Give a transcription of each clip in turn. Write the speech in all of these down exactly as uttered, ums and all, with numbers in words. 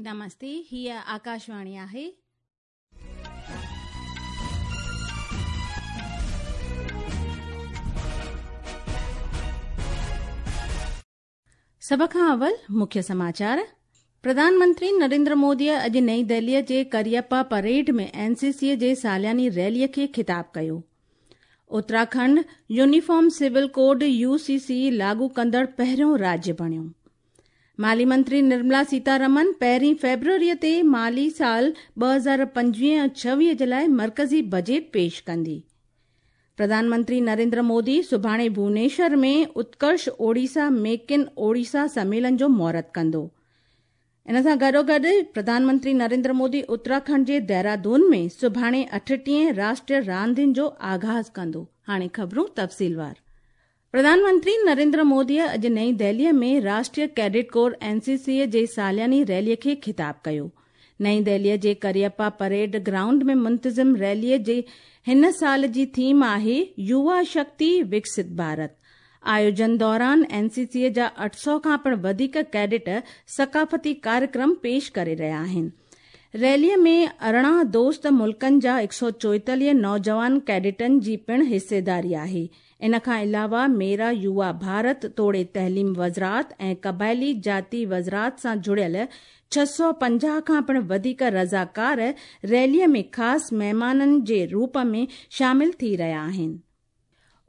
नमस्ते, हीअ आकाशवाणी आहे। सभ खां अवल मुख्य समाचार। प्रधानमंत्री नरेंद्र मोदीअ अॼु नई दिल्लीअ जे करियप्पा परेड में एनसीसीअ जे सालियानी रैलीअ खे ख़िताब कयो। Uttarakhand uniform civil code U C C लागू कंदड़ पहिरियों राज्य बणियो। माली मंत्री निर्मला सीतारमन पहिरीं फेब्रुअरीअ ते माली साल ॿ हज़ार पंजवीह ऐं छवीह जे लाइ मर्कज़ी बजट पेश कंदी। प्रधानमंत्री नरेंद्र मोदी सुभाणे भुवनेश्वर में उत्कर्ष ओडिशा मेक इन ओडिशा सम्मेलन जो मुहूर्त कंदो। इन सां गॾोगॾु प्रधानमंत्री नरेंद्र मोदी उत्तराखंड जे देहरादून में सुभाणे अठटीह राष्ट्रीय रांदियुनि जो आगाज़ कंदो। हाणे ख़बरूं तफ़सीलवार। प्रधानमंत्री नरेंद्र मोदीअ अॼु नई दिल्लीअ में राष्ट्रीय कैडेट कोर एनसीसीअ जे सालियानी रैलीअ खे ख़िताब कयो। नई दिल्लीअ जे करियप्पा परेड ग्राउंड में मुंतज़िम रैलीअ जे हिन साल जी थीम आहे युवा शक्ति विकसित भारत। आयोजन दौरान एनसीसीअ जा अठ सौ खां पिणु वधीक कैडेट सकाफ़ती कार्यक्रम पेश करे रहिया आहिनि। रैलीअ में अरिड़हं दोस्त मुल्कनि जा हिकु सौ चोएतालीह नौजवान कैडेटनि जी पिणु हिस्सेदारी आहे। इन खां अलावा मेरा युवा भारत तोड़े तहलीम वज़ारत ऐं क़बाइली जाति वज़ारत सां जुड़ियल छह सौ पंजाह खां पिणु वधीक रज़ाकार रैलीअ में ख़ासि महिमाननि जे रूप में शामिल थी रहिया आहिनि।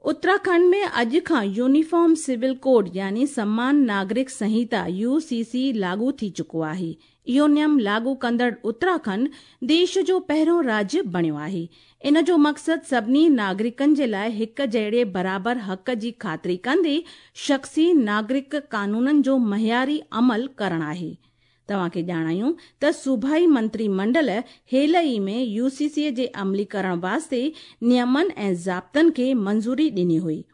उत्तराखंड में अॼु खां यूनिफॉर्म सिविल कोड यानी समान नागरिक संहिता यूसीसी लागू थी चुको आहे। इहो नियम लागू कंदड़ उत्तराखंड देश जो पहिरियों राज्य बणियो आहे। इन जो मक़सदु सभिनी नागरिकनि जे लाइ हिकु जहिड़े बराबर हक़ जी ख़ातिरी कंदे शख़्सी नागरिक कानूननि जो मयारी अमल करणु आहे। तव्हांखे ॼाणायूं त सूबाई मंत्रीमंडल हेल ई में यूसीसी जे अमलीकरण वास्ते नियमनि ऐं ज़ाब्तनि खे मंज़ूरी ॾिनी हुई।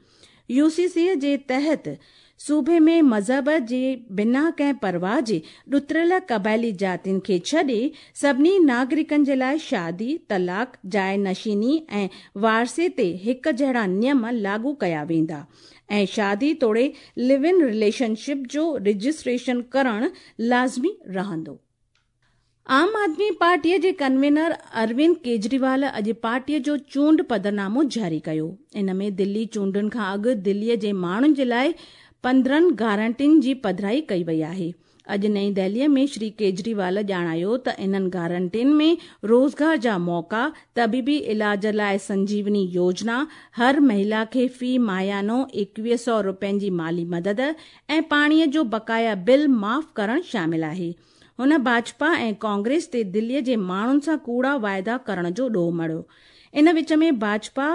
यूसीसी जे तहत सूबे में मज़हब जे बिना कंहिं परवाह जे ॾुतरियल क़बाइली जातियुनि खे छॾे सभिनी नागरिकनि जे लाइ शादी, तलाक़, जाइ नशीनी ऐं वारसे ते हिकु जहिड़ा नियम लागू कया वेंदा ऐं शादी तोड़े लिव इन रिलेशनशिप जो रजिस्ट्रेशन करणु लाज़मी रहंदो। आम आदमी पार्टीअ जे कन्वीनर अरविंद केजरीवाल अॼु पार्टीअ जो चूंड पधरनामो जारी कयो। इन में दिल्ली चूंडुनि खां अॻु दिल्लीअ जे माण्हुनि जे लाइ पंद्रहं गारंटियुनि जी पधराई कई वई आहे। अॼु नई दिल्लीअ में श्री केजरीवाल ॼाणायो त इन्हनि गारंटियुनि में रोज़गार जा मौक़ा, तबीबी इलाज लाइ संजीवनी योजना, हर महिला खे फ़ी माहियानो एकवीह सौ रुपयनि जी माली मदद ऐं पाणीअ जो बकाया बिल माफ़ करणु शामिल आहे। हुन भाजपा ऐं कांग्रेस ते दिल्लीअ जे माण्हुनि सां कूड़ा वाइदा करण जो ॾोह मढ़ियो। इन विच में भाजपा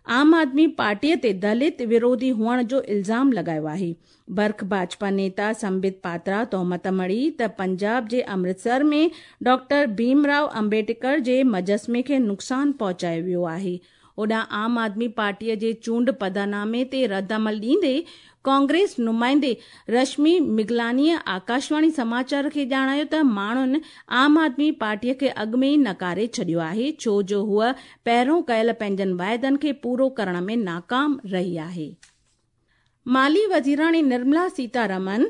आम आदमी पार्टीअ ते दलित विरोधी हुअण जो इल्ज़ाम लॻायो आहे। बर्ख भाजपा नेता संबित पात्रा तोहमत मढ़ी त पंजाब जे अमृतसर में डॉक्टर भीमराव अम्बेडकर जे मुजस्मे खे नुक़सानु पहुचायो वियो आहे। होॾां आम आदमी पार्टीअ जे चूंड पदनामे ते रद्द अमल ॾींदे कांग्रेस नुमाइंदे रश्मि मिगलानीअ आकाशवाणी समाचार खे ॼाणायो त माण्हुनि आम आदमी पार्टीअ खे अॻु में ई नकारे छॾियो आहे, छो जो हूअ पहिरियों कयल पंहिंजनि वाइदनि खे पूरो करण में नाकाम रही आहे। माली वज़ीराणी निर्मला सीतारमन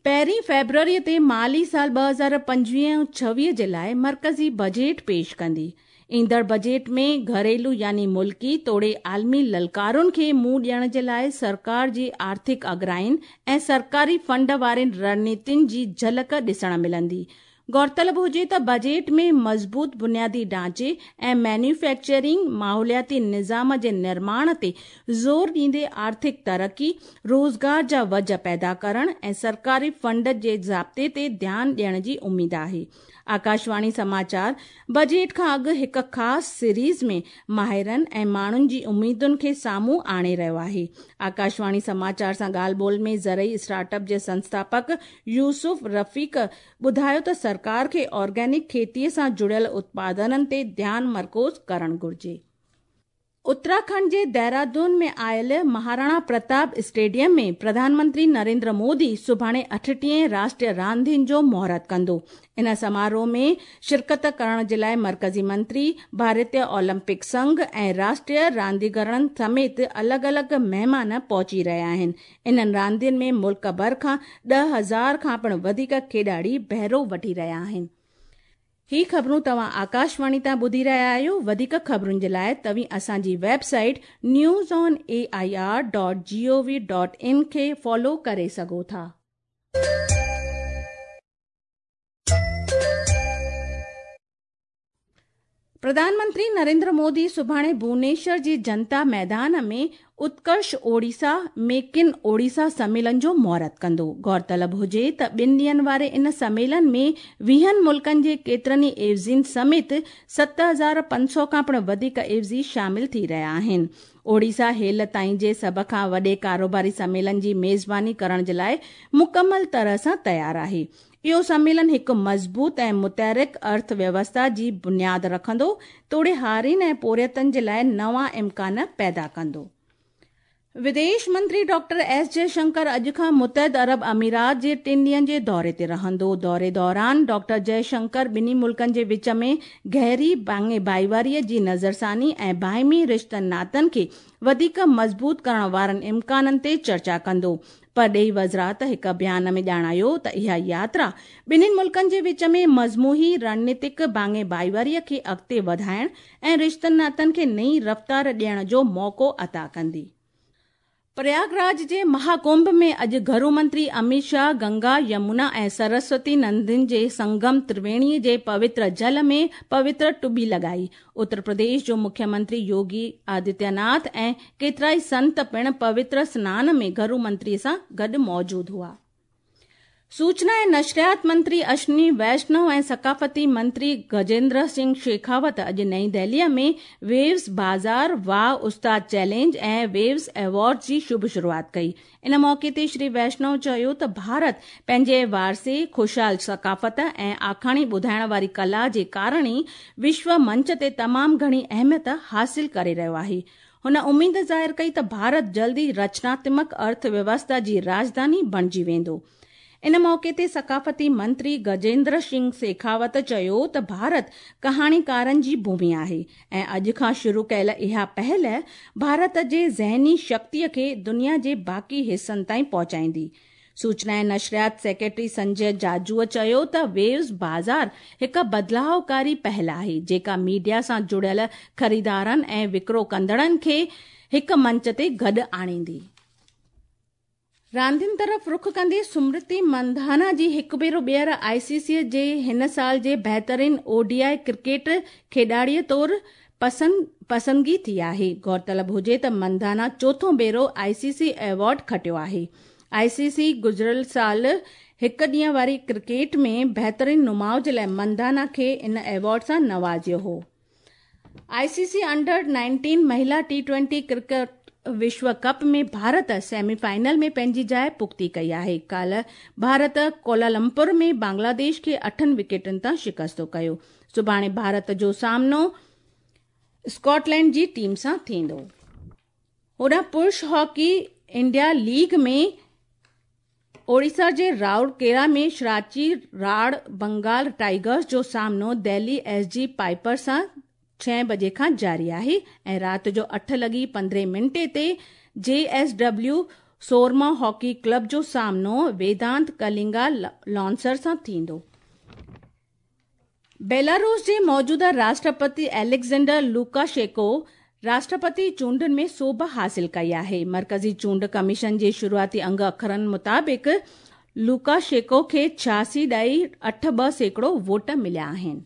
पहिरीं फेब्रुअरीअ ते माली साल ॿ हज़ार पंजवीह ऐं छवीह जे लाइ मर्कज़ी बजट पेश कंदी। ईंदड़ बजट में घरेलू यानी मुल्की तोड़े आलमी ललकारुनि खे मुंहुं ॾियण जे लाइ सरकार जी आर्थिक अगराइनि ऐं सरकारी फंड वारनि रणनीतियुनि जी झलक ॾिसण मिलंदी। गौरतलब हुजे त बजट में मज़बूत बुनियादी ढांचे ऐं मैन्युफैक्चरिंग माहौलियाती निज़ाम जे निर्माण ते ज़ोर ॾींदे आर्थिक तरक़ी, रोज़गार जा वज पैदा करण ऐं सरकारी फंड जे ज़ाब्ते ते ध्यानु ॾियण जी उमेद आहे। आकाशवाणी समाचार बजट खां अॻु हिकु ख़ासि सीरीज़ में माहिरनि ऐं माण्हुनि जी उमेदुनि खे साम्हूं आणे रहियो आहे। आकाशवाणी समाचार सां ॻाल्हि ॿोल में ज़रई स्टार्टअप जे संस्थापक यूसुफ रफ़ीक ॿुधायो त सरकार खे ऑर्गेनिक खेतीअ सां जुड़ियल उत्पादननि ते ध्यानु मरकूज़ करणु घुर्जे। اتراکنڊ جي دهرادون ۾ آيل مهاراڻا پرتاپ اسٽيڊيم ۾ پرڌان منتري نريندر مودي سڀاڻي اٺٽيهين راشٽريه راندين جو مهورت ڪندو. ان سماروهه ۾ شرڪت ڪرڻ جي لاءِ مرڪزي منتري، ڀارتيه اولمپڪ سنگهه ۽ راشٽريه رانديگرن سميت الڳ الڳ مهمان پهچي رهيا آهن. انهن راندين ۾ ملڪ ڀر کان ڏهه هزار کان پڻ وڌيڪ کيڏاڙي بهرو وٺي رهيا آهن. هي خبرون توهان آڪاشواڻي تان ٻڌي رهيا آهيو. وڌيڪ خبرن جي لاءِ توهين اسان جي website news on A I R dot G O V dot in کي فالو ڪري سگهو ٿا. پرڌان منتري نريندر مودي سڀاڻي ڀونيشور جي جنتا ميدان ۾ اتڪرش اوڙيسا ميڪ ان اوڙيسا سميلن جو مهورت ڪندو. غور طلب هجي ته ٻن ڏينهن واري ان سميلن ۾ ويهن ملڪن جي ڪيترن ئي عيوضين سميت ست هزار پنج سؤ کان پڻ وڌيڪ عيوضي شامل ٿي رهيا آهن. اوڙيسا هيل تائين جي سڀ کان وڏي ڪاروباري سميلن جي ميزباني ڪرڻ جي لاءِ مڪمل طرح سان تيار آهي. اهو سميلن هڪ مضبوط ۽ متحرڪ ارٿ ويوسٿا جي بنياد رکندو توڙي هارين ۽ پورهيتن جي لاءِ نوان امڪان پيدا ڪندو. وديش منتري ڊاڪٽر ايس جئشنڪر اڄ کان متحده عرب امارات جي ٽن ڏينهن جي دوري تي رهندو. دوري دوران ڊاڪٽر جئشنڪر ٻنهي ملڪن جي وچ ۾ گهري ڀاڱي ڀائيواريءَ جي نظرثاني ۽ باهمي رشتن ناتن کي وڌيڪ مضبوط ڪرڻ وارن امڪانن تي چرچا ڪندو. پرڏيهي وزارت هڪ بيان ۾ ڄاڻايو ته اها ياترا ٻنهي ملڪن جي وچ ۾ مجموعي رڻنيتڪ ڀاڱي ڀائيواريءَ کي اڳتي وڌائڻ ۽ رشتن ناتن کي نئين رفتار ڏيڻ جو موقعو عطا ڪندي. پرياگراج جي مهاڪنڀ ۾ اڄ گهرو منتري امت شاهه گنگا، يمنا ۽ سرسوتي ندين جي سنگم ترويڻي جي پوتر جل ۾ پوتر ٽٻي لڳائي. اتر پرديش جو مکيه منتري يوگي آدتيه ناٿ ۽ ڪيترائي سنت پڻ پوتر سنان ۾ گهرو منتري سان گڏ موجود هئا. سوچنا ۽ نشريات منتري اشوني ويشنو ۽ ثقافتي منتري گجيندر سنگهه شيکاوت اڄ نئين دهليءَ ۾ ويوز بازار واهه استاد چئلينج ۽ ويوز ايوارڊ جي شڀ شروعات ڪئي. ان موقعي تي شري ويشنو چيو ته ڀارت پنهنجي وارثي، خوشحال ثقافت ۽ آکاڻي ٻڌائڻ واري ڪلا جي ڪارڻ ئي وشو منچ تي تمام گهڻي اهميت حاصل ڪري رهيو آهي. هن اميد ظاهر ڪئي ته ڀارت جلد ئي رچناتمڪ ارٿ ويوسٿا جي راڄڌاني بڻجي ويندو. ان موقعي تي ثقافتي منتري گجيندر سنگهه شيکاوت چيو ته ڀارت ڪهاڻيڪارن جي ڀومي آهي ۽ اڄ کان شروع ڪيل اها پهل ڀارت جي ذهني شڪتيءَ کي دنيا جي باقي حصن تائين پهچائيندي. سوچنا ۽ نشريات سيڪريٽري سنجي جاجوءَ چيو ته ويوز بازار هڪ بدلاوڪاري پهل آهي جيڪا ميڊيا سان جڙيل خريدارن ۽ وڪرو ڪندڙن کي هڪ منچ تي گڏ آڻيندي. راندين طرف رخ ڪندي سمرتي مندانا جي هڪ ڀيرو ٻيهر آءِ سي سي جي هن سال جي بهترين او ڊي I cricket کيڏاڙيءَ طور پسند پسندگي ٿي آهي. غور طلب هجي ته مندانا چوٿون ڀيرو آءِ سي سي ايوارڊ کٽيو آهي. آءِ سي سي گذريل سال هڪ ڏينهن واري ڪرڪيٽ ۾ بهترين نماءُ جي لاءِ مندانا کي ان ايوارڊ سان نوازيو هو. I C C under nineteen مهلا ٽي ٽوئنٽي ڪرڪيٽ وشو ڪپ ۾ ڀارت سيمي فائنل ۾ پنهنجي جاءِ پختي ڪئي آهي. ڪالهه ڀارت ڪولالمپور ۾ بنگلاديش کي اٺن وڪيٽن تان شڪست ڪيو. سڀاڻي ڀارت جو سامنو اسڪاٽلينڊ جي ٽيم سان ٿيندو. هوڏانهن پرش هاڪي انڊيا ليگ ۾ اوڙيسا جي رائورڪيلا ۾ شراچي راڙ بنگال ٽائيگرز جو سامنو دهلي ايس جي پائپر سان ڇهه بجي کان جاري آهي ۽ رات جو اٺ لڳي پندرهين منٽي تي جي ايس ڊبليو سورما هاڪي ڪلب جو سامنو ويدانت ڪلنگا لانسر سان ٿيندو. بيلاروس جي موجوده راشٽرپتي اليگزينڊر لوڪاشينڪو راشٽرپتي چونڊن ۾ سوڀ حاصل ڪئي آهي. مرڪزي چونڊ ڪميشن جي شروعاتي انگ اکرن مطابق لوڪاشينڪو کي ڇهاسي ڏهائي اٺ ٻه سيڪڙو ووٽ مليا آهن.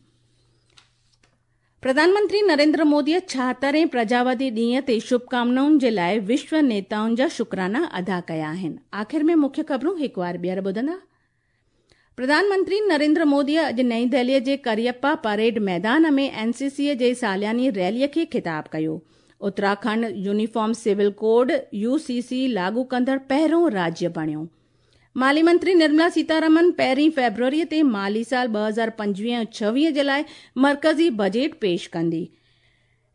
پرڌان منتري نريندر موديءَ ڇاهترهين پرجاوادي ڏينهن تي شڀڪامنائن جي لاءِ وشو نيتائن جا شڪرانا ادا ڪيا آهن. آخر ۾ مکيه خبرون هڪ وار ٻيهر ٻڌندا. پرڌان منتري نريندر موديءَ اڄ نئين دهليءَ جي ڪريپا پريڊ ميدان ۾ اين سي سي جي سالياني ريليءَ کي خطاب ڪيو. Uttarakhand uniform civil code U C سي لاڳو ڪندڙ پهريون راجيه بڻيو. مالي منتري نرملا سيتارمن پهرين فيبروريءَ تي مالي سال ٻه هزار پنجويهه ۽ ڇويهه جي لاءِ مرڪزي بجيٽ پيش ڪندي.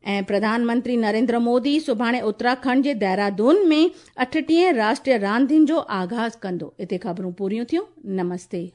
ऐं प्रधानमंत्री नरेंद्र मोदी सुभाणे उत्तराखंड जे देहरादून में अठटीह राष्ट्रीय रांदियुनि जो आगाज़ कंदो। हिते ख़बरूं पूरियूं थियूं। नमस्ते।